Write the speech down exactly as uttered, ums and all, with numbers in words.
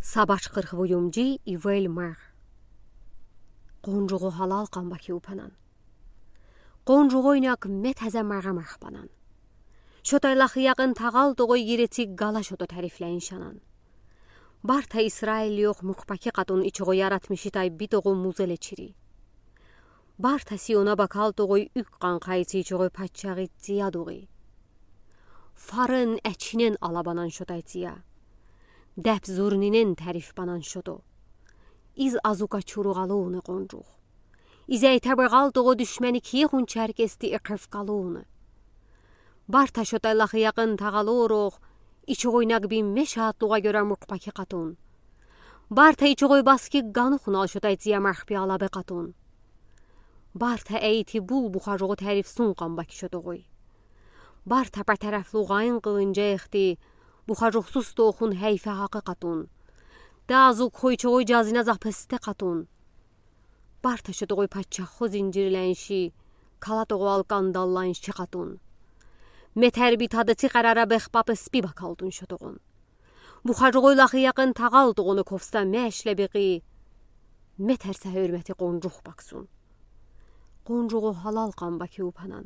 Сабаш къырх б уюмджи. Ивель марх. Къонжугъу гьалал къанба ки упанан. Къонжугъуйнаг ме-таза марха мархбанан. Шотай лахи якъин тагъалтугъуй герециг гала шото тарифляншанан. Барта Исраил йох муькъпаки къатун ичугъуй яратмишитай битугъу музелечири. Барта Сиона бакалтугъуй уьк къанкъайци ичугъуй паччагъи цияд угъи. Фарен, эчинен алабанан шотай ция. Деб зурнинен тарифбанан шото. Из азука чуругъалуна къонжугъ. Изейтеб рагъалтугъу душмени киехун черкести экъефкалуна. Барта шотай лахи якъин тагъалурухъ ичугъуйнаг би мешаатлугъа гёре муькъпаки къатун. Барта ичугъуй баски ганухунал шотай ция мархби алабе къатун. Барта эйти бул бухажугъу тарифсун къанба ки шотогъуй. Барта патарефлу гъайн къылынжа эхти бухажугъсуз тоохун гьейфе гьакъы къатун. Дазу кхойчугъуй жазина запесте къатун. Барта шотогъуй паччаху зинжирлянши, калатугъу алкандалланши къатун. Метерби тадаци къарара бехпапеспи бакалтун шотогъун. Бухажугъуй лахи якъин тагъалтугъуну ковса мешлебикъи, метерса гьуьрмети къонжугъ баксун. Къонжугъу гьалал къанба ки упанан.